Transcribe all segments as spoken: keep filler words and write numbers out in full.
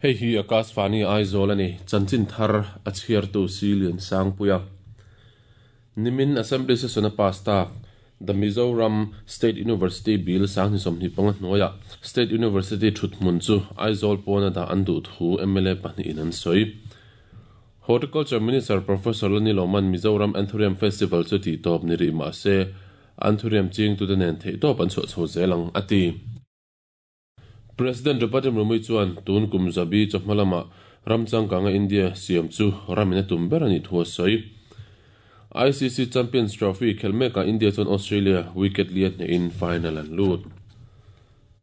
Hei hi Akashvani Aizawl ani chanchin thar a chhiartu Silian Sangpuia. Nimin Assembly Session a pass tak The Mizoram State University Bill sang ni sawmhnih panga hnuaiah State University thuthmun chu Aizawl pawna dah an duh thu M L A pahnih in an sawi. Horticulture Minister Professor Lani Loman Mizoram Anthurium Festival chu tih tawp ni rih mah se Anthurium ching tute nen theih tawp an chhuah chho zel ang a ti. President Draupadi Murmu chuan tun kum zabi chawhma lama ramchangkanga India siam chu ramin a tum ber ani thu a sawi. I C C Champions Trophy khelmeka India chuan Australia wicket lian hnehin final an lut.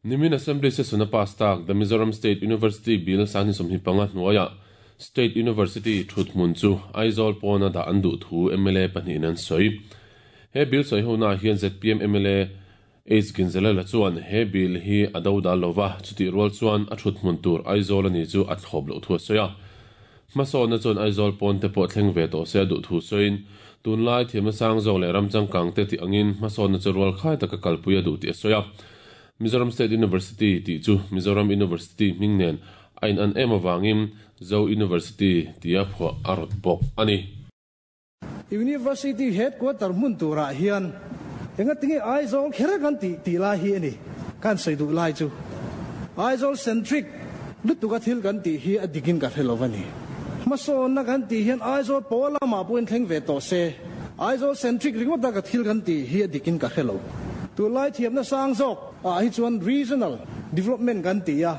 Nimin Assembly Session a pass tak The Mizoram State University Bill sang ni sawmhnih panga hnuaiah State University thuthmun chu Aizawl pawna dah an duh thu M L A pahnih in an sawi. He bill sawi ho na hian Z P M M L A H Ginzalala chuan he bill hi a do dal lova chuti rual chuan a thuthmun tur Aizawl ani chu a thlawp lo thu a sawi a. Hmasawn na chuan Aizawl pawn te pawh thleng ve tawh se a duh thu sawiin tunlai thiamna sang zawk leh ramchangkang te tih angin hmasawn na chu rual khai taka kalpui a duh tih a sawi a. Mizoram State University tih chu Mizoram University hming nen a in an em awangin Zo University tia phuah a rawt bawk ani. University headquarter hmun turah hian enga tinge Aizawl kher kan ti ti lai hi ani kan sei duh lai chu Aizawl centric lutuka thil kan ti hi a dikin ka hrelo ani. Hmasawn na kan ti hian Aizawl pawla ma puin thleng ve tawh se Aizawl centric ringawt ka thil kan ti hi a dikin ka hrelo. Tu lai thiamna sang zawk a hi chuan regional development kan ti a,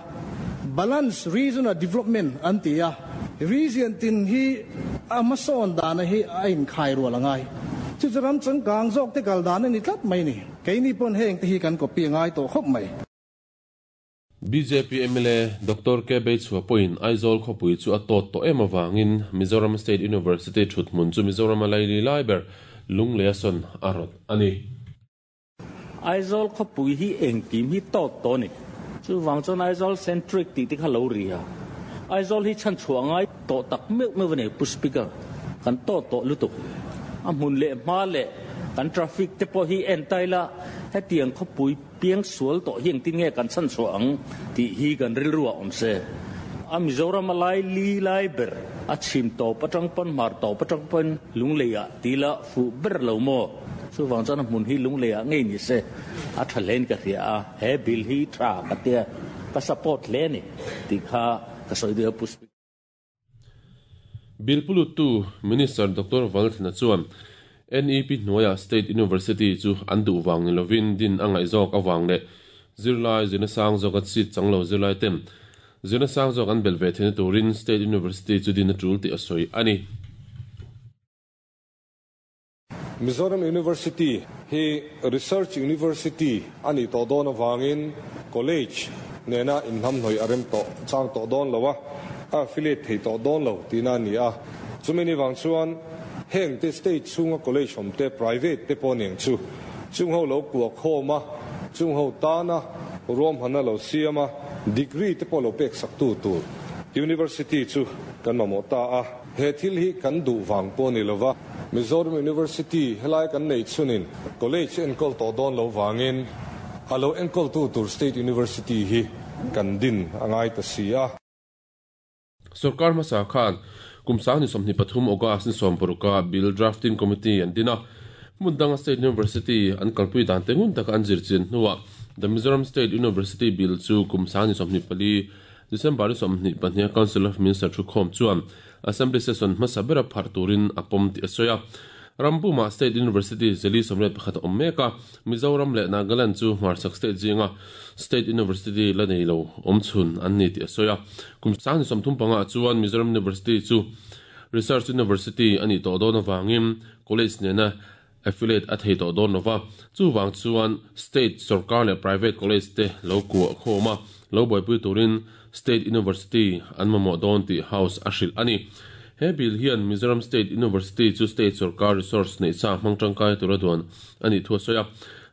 balance regional development an ti a, region tin hi a hmasawn dana hi a inkhai rual angai. Chu chu ram changkang zawk te kal dan ani tlat mai ni. Keini pawn heng te hi kan copy ngai tawh khawp mai. B J P M L A Doctor K Beichhua pawhin Aizawl khawpui chu a tawt tawh em awangin Mizoram State University thuthmun chu Mizoram a laili lai ber Lunglei a sawn a rawt ani. Aizawl khawpui hi engkim hi tawt tawh ni. Chu wang chuan Aizawl centric tih te kha lo ri a. Aizawl hi chhan chhuah ngai tawh tak meuh meuh ani pu speaker. Kan tawt tawh lutuk. A hmun leh hma leh kan traffic te pawh hi en taila hetiang khawpui piang sual tawh hi engtin nge kan chhan chhuah ang tih hi kan rilru a awm se. A Mizoram a lai li lai ber a chhim tawp atang pawn hmar tawp atang pawn Lunglei ah tila fu ber lo maw. Chu wang chuan a hmun hi Lunglei ah ngei ni se a tha hlein ka hria a, he bill hi tha ka tia ka support hle ni tih kha ka sawi duh a pu speaker. Bill pulut tu Minister Doctor Valthana chuan N E P hnuaiah State University chu an duh wang ni lovin din a ngaih zawk awang leh zirlai zirna sang zawk a seat changlo zirlai tem zirna sang zawk an bel ve theihna turin State University chu din a tul tih a sawi ani. Mizoram University hi Research University ani tawh dawn awangin college nena inhnam hnawih a rem tawh chang tawh dawn lo a, a affiliate thei tawh dawn lo tina ani a. Chumi ni wang chuan heng te state chunga college awm te private te pawh niang chu chung ho lo kuah khawm a, chung ho tana ruam hana lo siam a, degree te pawh lo pek sak tu tur university chu kan mamawh ta a. He thil hi kan duh wang pawh ni lova Mizoram University helai kan nei chunin college enkawl tawh dawn lo wangin a lo enkawl tu tur State University hi kan din angai ta si a. Sarkar hmasa khan kum sang ni sawmhnih pathum August ni sawm paruka Bill Drafting Committee an din a. Hmundanga State University an kalpui dan te ngun taka an zir chin hnuah The Mizoram State University Bill chu kum sang ni sawmhnih pali December ni sawmhnih pahnih Council of Minister thu khawm chuan Assembly Session hmasa bera phar turin a pawm tih a sawi a. Rampuma State University zeli sawmriat pakhat a awm mek a, Mizoram leh Nagaland chu hmarchhak state zinga State University la nei lo awm chhun an ni tih a sawi a. Kum sang ni sawmthum panga chuan Mizoram University chu Research University ani tawh dawn awangin college nena affiliate a thei tawh dawn lova. Chu wang chuan state sarkar leh private college te lo kuah khawm a, lo buaipui turin State University an mamawh dawn tih house a hrilh ani. He bill hian Mizoram State University chu state sarkar resource nei sa hmang tangkai tur a duan ani thu a sawi a.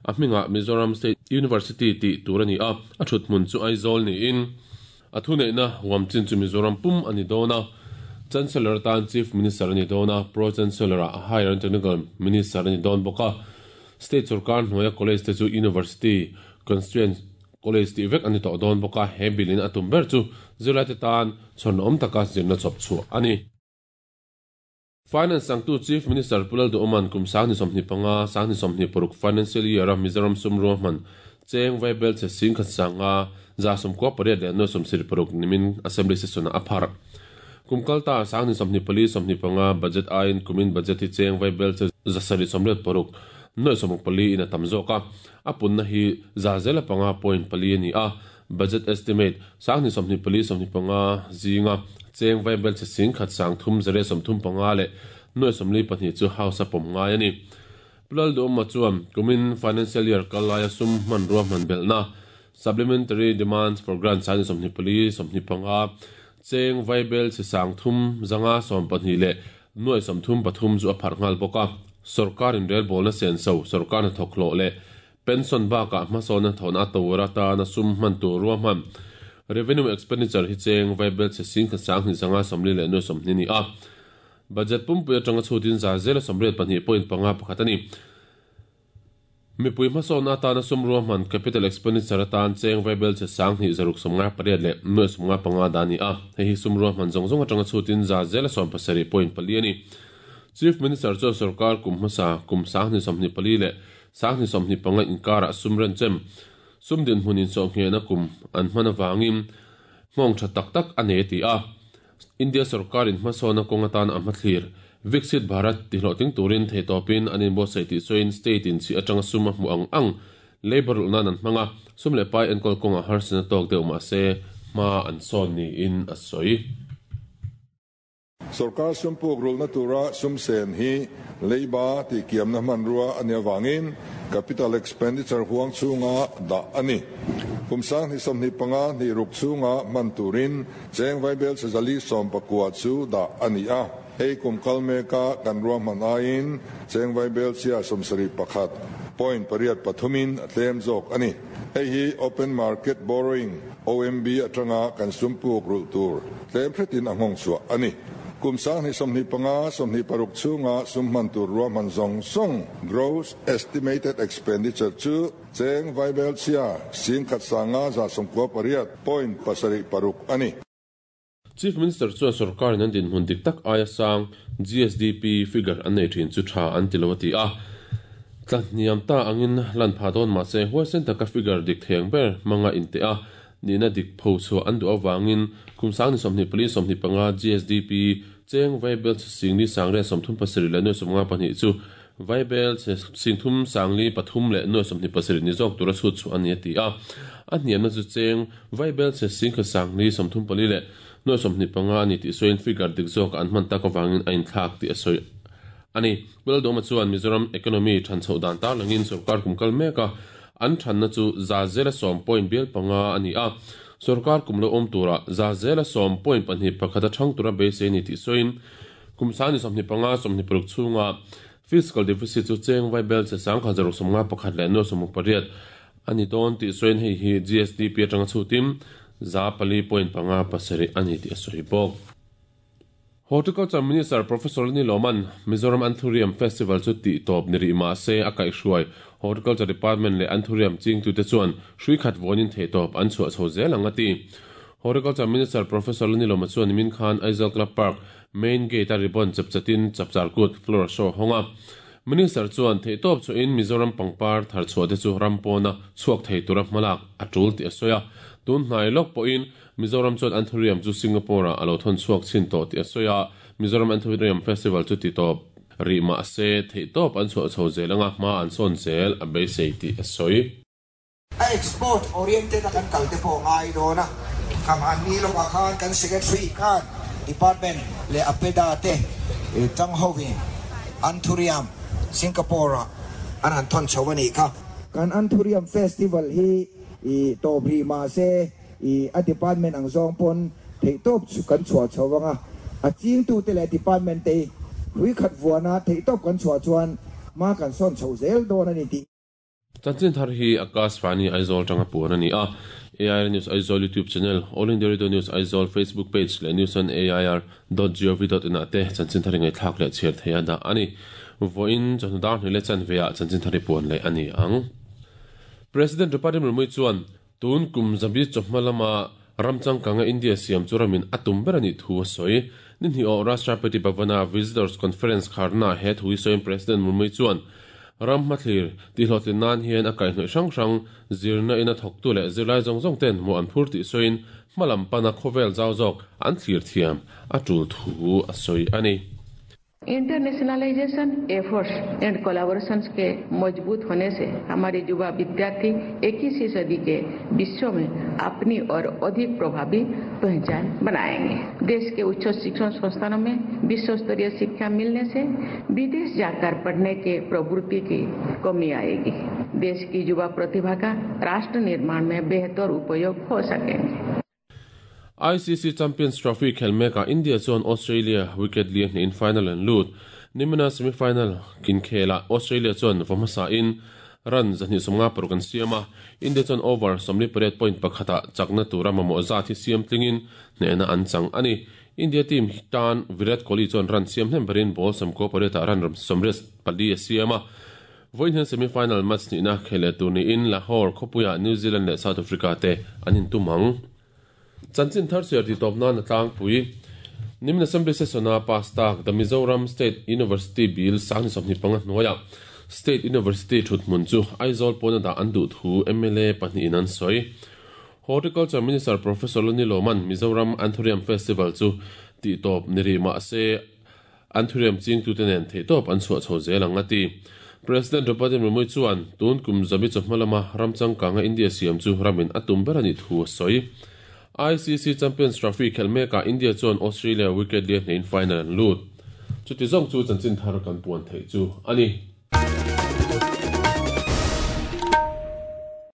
A hmingah Mizoram State University tih tur ani a, a thuthmun chu Aizawl niin a thu neihna huam chin chu Mizoram pum ani dawn a. Chancellor tan Chief Minister ani dawn a, Pro Chancellor a Higher and Technical Minister ani dawn bawk a. State sarkar hnuaia college te chu University constituent College ti vek ani to don boka he bilin atum ber chu zirlai te tan chon om taka zirna chop chu ani. Finance sangtu Chief Minister Pulal du Oman kum sang ni somni panga sang ni somni poruk financial year Mizoram sumro man cheng vaibel che sing khat sanga za som ko pare le no som sir poruk nimin assembly session aphar kum kalta sang ni somni pali somni panga budget ain kumin budget hi cheng vaibel che zasari somret poruk noi somuk pali ina tamzoka apun na hi za zela panga point pali ani a budget estimate sang ni somni pali somni panga zinga cheng vaibel che sing khat sang thum zare som thum panga le noi somli pahnih chu house a pom ngai ani. Plal do ma chuam kumin financial year kalaya sum man ruwa man belna supplementary demands for grant sang somni pali somni panga cheng vaibel che sang thum zanga som pahnih le noi som thum pathum chu a phar ngal boka sarkar in rel bolna sen so sarkar na thoklo le pension ba ka ma sona thona tawra ta na sum man tu ruwa man revenue expenditure hi cheng vaibel che sing kha sang ni zanga somli le no somni ni a budget pum pu atanga chutin za zela somret pahnih point panga pakhatani mi pui ma sona ta na sum ruwa man capital expenditure atan cheng vaibel che sang ni zaruk somnga pariat le no somnga panga dani a hei hi sum ruwa man zong zong atanga chutin za zela som pasari point pali ani. Chief Minister cho sarkar kum hmasa kum sang ni somni pali le sang ni somni panga inkara sumran chem sumdin hunin so nge na kum an hmana wangin ngong tha tak tak ane ti a India sarkar in hmasona kongatan a hmathlir Viksit Bharat ti hloting turin thei topin anin bo sei ti soin state in chi atanga suma mu ang ang labor ulna nan hmanga sum le pai enkol konga harsena tok deuh ma se ma an son ni in a soi. Sarkar sumpuk rul na tura sumsen hi leiba ti kiam na manrua ania wangin capital expenditure huang chunga da ani kumsang ni somni panga ni ruk chunga manturin cheng vaibel sezali som pakua chu da ani a hei kum kalme ka kan ruang man ain cheng vaibel chia somsari pakhat point pariat pathumin atlem jok ani hei hi open market borrowing O M B atanga kan sumpuk rul tur tlem phretin angong chua ani kumsang ni somni panga somni paruk chunga summan tur ruwa man zong song gross estimated expenditure chu cheng vaibel chia sing khat sanga za somkwa pariat point pasari paruk ani. Chief Minister chuan sarkar in an din hun dik tak aia sang G S D P figure an nei thin chu tha an tilawati a tlatniam ta angin lan pha don ma se huaisen taka figure dik theng ber manga in te a nina dik pho chu an du awangin kumsang ni somni pali somni panga G S D P cheng vaibel sing ni sangre somthum pasari le no somnga pahnih chu vaibel singthum sangli pathum le no somni pasari ni jok tura chu chu ani ti a a hniam na chu cheng vaibel che sing kha sangli somthum pali le no somni panga ani ti soin figure dik jok an man tak awangin ain thlak ti a soi ani bel doma chuan Mizoram economy than chho dan ta langin sarkar kumkal meka an than na chu za zela som point bel panga ani a sarkar kumlo om tura za zela som point pahnih pakhata thang tura be se ni ti soin kumsani somni panga somni paruk chunga fiscal deficit chu cheng vaibel che sang kha zaruk somnga pakhat le no somuk pariat ani don ti soin hei hi G S D P atanga chutim za pali point panga pasari ani ti soi bok. Horticulture Minister Professor Ni Loman Mizoram Anthurium Festival chu ti top ni ri ma se akai hruai Horticulture Department le Anthurium ching tu te chuan shui khat vonin thei top an chua chho zel anga ti. Horticulture Minister Professor Ni Loma chuan min khan Aizawl Club Park main gate a ribbon chapchatin chapchar kut floor show honga Minister chuan thei top chu in Mizoram pangpar thar chua te chu rampona chuak thei tura hmalak atul ti asoya tun hnai lok po in Mizoram chuan Anthurium chu Singapore a alo thon chuak chin to ti asoya Mizoram Anthurium Festival chu ti top ri ma se thei top an chua chho zelanga ma an son zel a be sei ti asoi. Export oriented kan kalte po ngai do na kam an ni lo khan kan secretary khan department le apeda te tang hovi Anthurium Singapore an han thon chawani kha kan Anthurium Festival hi i to bri ma se i a department ang zong pon thei top chu kan chua chawanga a ching tu te le department te hui khat vuana thei top kan chua chuan ma kan son chho zel don ani ti. Chanchin thar hi Akash Vani Aizawl tanga puan ani a A I R News Aizawl YouTube channel, All India Radio News Aizawl Facebook page le news on A I R dot gov dot in ate chanchin thar ngai thlak le chher theia da ani voin chon dar ni le chan veya chanchin thari puan le ani ang. President Draupadi Murmu chuan Tun kum zabi chawhma lama ramchang kanga India siam chu ramin atum ber ani thu a sawi. Ni hnih aw Rashtrapati Bhavana Visitors Conference kharna he thui sawiin President Murmu chuan ram hmathlir tihhlawhtlin nan hian a kaihhnawih hrang hrang zirna ina thawktu leh zirlai zawng zawng ten hmuh an phur tih sawiin hmalam pana khawvel zau zawk an thlir thiam a tul thu a sawi ani. Internationalisation efforts and collaborations के मजबूत होने से हमारे युवा विद्यार्थी इक्कीसवीं सदी के विश्व में अपनी और अधिक प्रभावी पहचान बनाएंगे। देश के उच्च शिक्षण संस्थानों में विश्व स्तरीय शिक्षा मिलने से विदेश जाकर पढ़ने के प्रवृत्ति की कमी आएगी। देश की युवा प्रतिभा का राष्ट्र निर्माण में बेहतर उपयोग हो सकेंगे। I C C Champions Trophy khelmeka India chuan Australia wicket lian in final an lut. Nimina semi-final kin khela Australia chuan vamasa in run zahni somnga paruk an siama. India chuan over somli pariat point pakhata chakna tura mamawh zat hi siam tlingin hnehna an chang ani. India team tan Virat Kohli chuan run siam hnem berin ball samko pariata run somriat pali a siama. Voin hian semi-final match nihna khele tur niin Lahore khawpuia New Zealand leh South Africa te an intumang. Chanchin thar siar ti tawp nan a tlangpui. Nimin Assembly session a pass tak the Mizoram State University Bill sangni sawmhnih panga hnuaiah State University thuthmun chu Aizawl pawna dah an duh thu M L A pahnih in an sawi. Horticulture Minister Professor Lani Loman Mizoram Anthurium Festival chu ti tawp ni ri mah se Anthurium ching tu te nen thei tawp an chhuah chho zel ang a ti. President Draupadi Murmu chuan tun kum zabi chawhma lama ramchang kanga India siam chu ramin atum ber ani thu a sawi. I C C Champions Trophy khelmeka India chuan Australia wicket lian in final an lut. Chuti zawng chu chanchin thar kan puan thei chu ani.